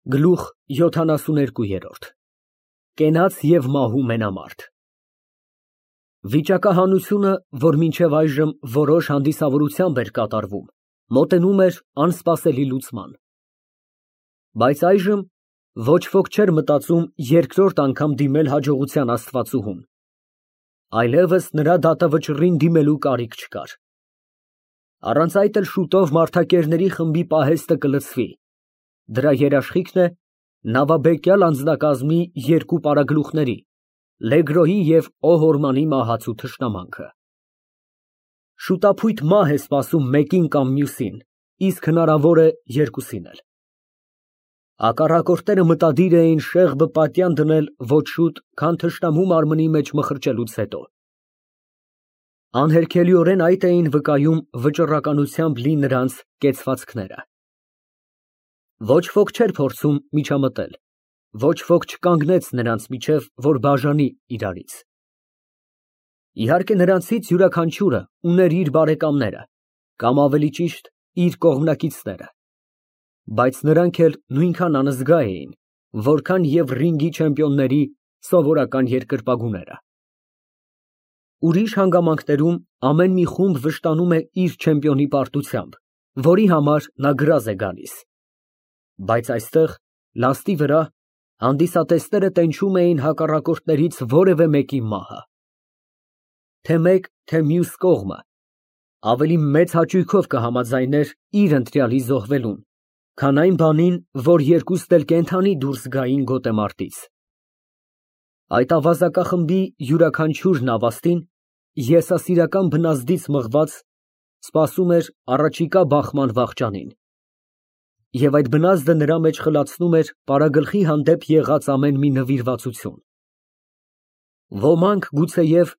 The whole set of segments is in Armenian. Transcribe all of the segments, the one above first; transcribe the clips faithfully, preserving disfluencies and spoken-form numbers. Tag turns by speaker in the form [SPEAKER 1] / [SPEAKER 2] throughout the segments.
[SPEAKER 1] Գլուխ յոթանասուներկու։ Կենաց և մահու մենամարտ։ Վիճակահանությունը, որ մինչև այժմ որոշ հանդիսավորությամբ էր կատարվում, մոտենում էր անսպասելի լուծման։ Բայց այժմ ոչ ոք չէր մտածում երկրորդ անգամ դիմել հաջողության աստվածուհուն, այլևս նրա դատավճռին դիմելու կարիք չկար։ Առանց այդ էլ շուտով մարդակերների խմբի պահեստը կլցվի, դրա երաշխիքն է նավաբեկյալ անձնակազմի երկու պարագլուխների՝ Լեգրոյի և Օհորմանի մահացու թշնամանքը։ Շուտափույթ մահ է սպասում մեկին կամ մյուսին, իսկ հնարավոր է երկուսին էլ։ Հակառակորդները մտադիր էին շեղբը պատյան դնել ոչ շուտ, քան թշնամու մարմնի մեջ մխրճելուց հետո։ Անհերքելիորեն այդ էին վկայում վճռականությամբ լի նրանց կեցվածքները։ Ոչ ոք չէր փորձում միջամտել, ոչ ոք չկանգնեց նրանց միջև, որ բաժանի իրարից։ Իհարկե, նրանցից յուրաքանչյուրը ուներ իր բարեկամները, կամ ավելի ճիշտ, իր կողմնակիցները, բայց նրանք էլ նույնքան անզգա էին, որքան և ռինգի չեմպիոնների սովորական երկրպագուները։ Ուրիշ հանգամանքներում ամեն մի խումբ վշտանում է իր չեմպիոնի պարտությամբ, որի համար նա գրազ է գալիս, բայց այստեղ, լաստի վրա, հանդիսատեսները տենչում էին հակառակորդներից որևէ մեկի մահը։ Թե մեկ, թե մյուս կողմը ավելի մեծ հաճույքով կհամաձայներ իր ընտրյալի զոհվելուն, քան այն բանին, որ երկուստ էլ կենդանի դուրս գային գոտեմարտից։ Այդ ավազակախմբի յուրաքանչյուր նավաստին եսասիրական բնազդից մղված սպասում էր առաջիկա բախման վախճանին, և այդ բնազդը նրա մեջ խլացնում էր պարագլխի հանդեպ եղած ամեն մի նվիրվածություն։ Ոմանք գուցեև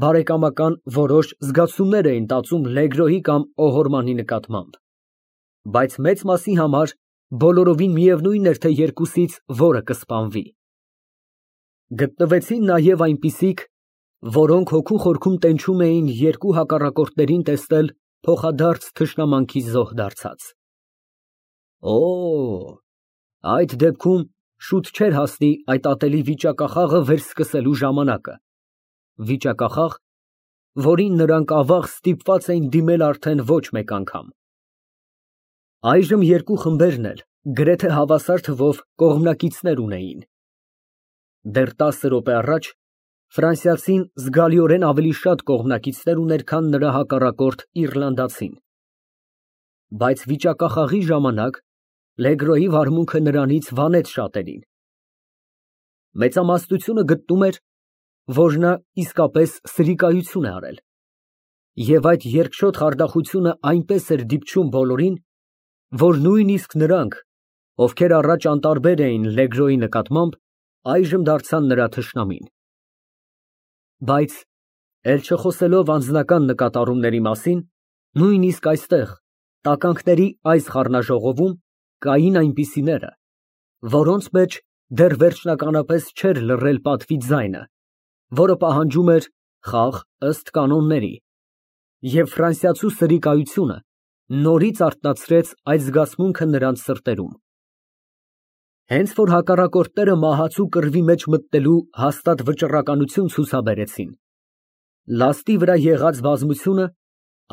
[SPEAKER 1] բարեկամական որոշ զգացումներ էին տածում Լեգրոյի կամ Օհորմանի նկատմամբ, բայց մեծ մասի համար բոլորովին միևնույն էր, թե երկուսից որը կսպանվի։ Գտնվեցին նաև այնպիսիք, որոնք հոգու խորքում տենչում էին երկու հակառակորդներին տեսնել փոխադարձ թշնամանքի զոհ դարձած։ Օ, այդ դեպքում շուտ չէր հասնի այդ ատելի վիճակախաղը վերսկսելու ժամանակը, վիճակախաղ, որին նրանք ավաղ ստիպված էին դիմել արդեն ոչ մեկ անգամ։ Այժմ երկու խմբերն էլ գրեթե հավասար թվով կողմնակիցներ ունեին։ Դեռ տասը րոպե առաջ ֆրանսիացին զգալիորեն ավելի շատ կողմնակիցներ ուներ, քան նրա հակառակորդ իռլանդացին, բայց վիճակախաղի ժամանակ Լեգրոյի վարմունքը նրանից վանեց շատերին։ Մեծամասնությունը գտնում էր, որ նա իսկապես սրիկայություն է արել, և այդ երկչոտ խարդախությունը այնպես էր դիպչում բոլորին, որ նույնիսկ նրանք, ովքեր առաջ անտարբեր էին Լեգրոյի նկատմամբ, այժմ դարձան նրա թշնամին։ Բայց, էլ չխոսելով անձնական նկատառումների մասին, նույնիսկ այստեղ, տականքների այս խառնաժողովում, կային այնպիսիները, որոնց մեջ դեռ վերջնականապես չէր լռել պատվի ձայնը, որը պահանջում էր խաղ ըստ կանոնների, և ֆրանսիացու սրիկայությունը նորից արթնացրեց այդ զգացմունքը նրանց սրտերում։ Հենց որ հակառակորդները մահացու կռվի մեջ մտնելու հաստատ վճռականություն ցուցաբերեցին, լաստի վրա եղած բազմությունը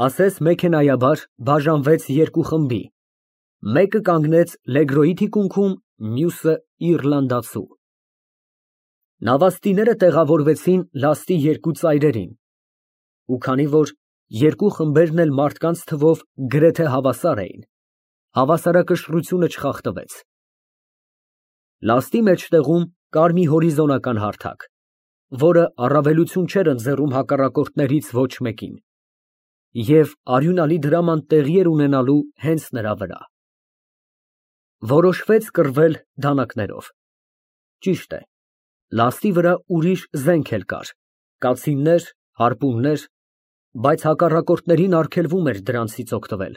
[SPEAKER 1] ասես մեքենայաբար բաժանվեց երկու խմբի, մեկը կանգնեց Լեգրոյի թիկունքում, մյուսը իռլանդացու։ Նավաստիները տեղավորվեցին լաստի երկու ծայրերին, ու քանի որ երկու խմբերն էլ մարդկանց թվով գրեթե հավասար էին, հավասարակշռությունը չխախտվեց։ Լաստի մեջտեղում կար մի հորիզոնական հարթակ, որը առավելություն չէր ընձեռում հակառակորդներից ոչ մեկին, և արյունալի դրաման տեղի էր ունենալու հենց նրա վրա։ Որոշվեց կռվել դանակներով։ Ճիշտ է, լաստի վրա ուրիշ զենք էլ կար, կացիններ, հարպուններ, բայց հակառակորդներին արգելվում էր դրանցից օգտվել։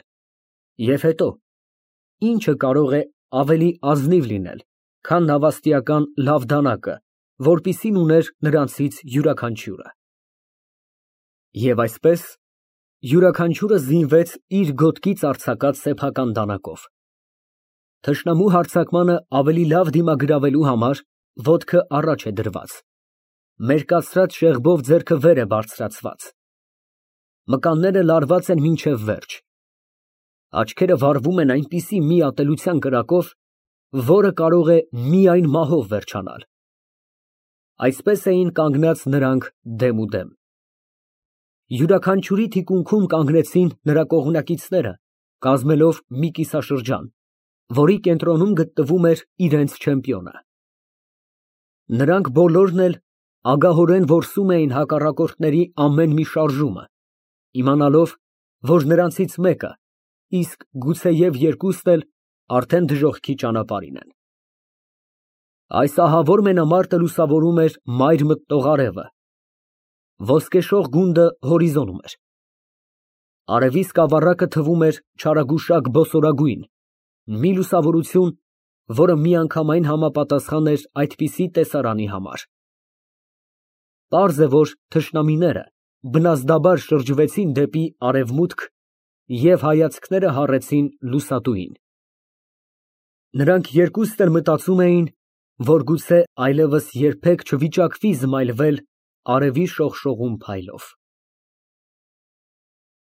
[SPEAKER 1] Եվ հետո, ի՞նչը կարող է ավելի ազնիվ լինել, քան նավաստիական լավ դանակը, որպիսին ուներ նրանցից յուրաքանչյուրը։ Եվ այսպես, յուրաքանչյուրը զինվեց իր գոտկից արձակած սեփական դանակով։ Թշնամու հարձակմանը ավելի լավ դիմագրավելու համար ոտքը առաջ է դրված, մերկացրած շեղբով ձեռքը վեր է բարձրացված, մկանները լարված են մինչև վերջ, աչքերը վառվում են այնպիսի մի ատելության կրակով, որը կարող է միայն մահով վերջանալ։ Այսպես էին կանգնած նրանք դեմուդեմ։ Յուրաքանչյուրի թիկունքում կանգնեցին նրա կողմնակիցները, կազմելով մի կիսաշրջան, որի կենտրոնում գտնվում էր իրենց չեմպիոնը։ Նրանք բոլորն էլ ագահորեն որսում էին հակառակորդների ամեն մի շարժումը, իմանալով, որ նրանցից մեկը, իսկ գուցեև երկուսն էլ արդեն դժոխքի ճանապարհին են։ Այս ահավոր մենամարտը լուսավորում էր մայր մտնող արևը, ոսկեշող գունդը հորիզոնում էր։ Արևի սկավառակը թվում էր չարագուշակ բոսորագույն, մի լուսավորություն, որը միանգամայն համապատասխան էր այդպիսի տեսարանի համար։ Պարզ է, որ թշնամիները բնազդաբար շրջվեցին դեպի արևմուտք և հայացքները հառեցին լուսատուին։ Նրանք երկուստ էլ մտածում էին, որ գուցե այլևս երբեք չվիճակվի զմայլվել արևի շողշողուն փայլով։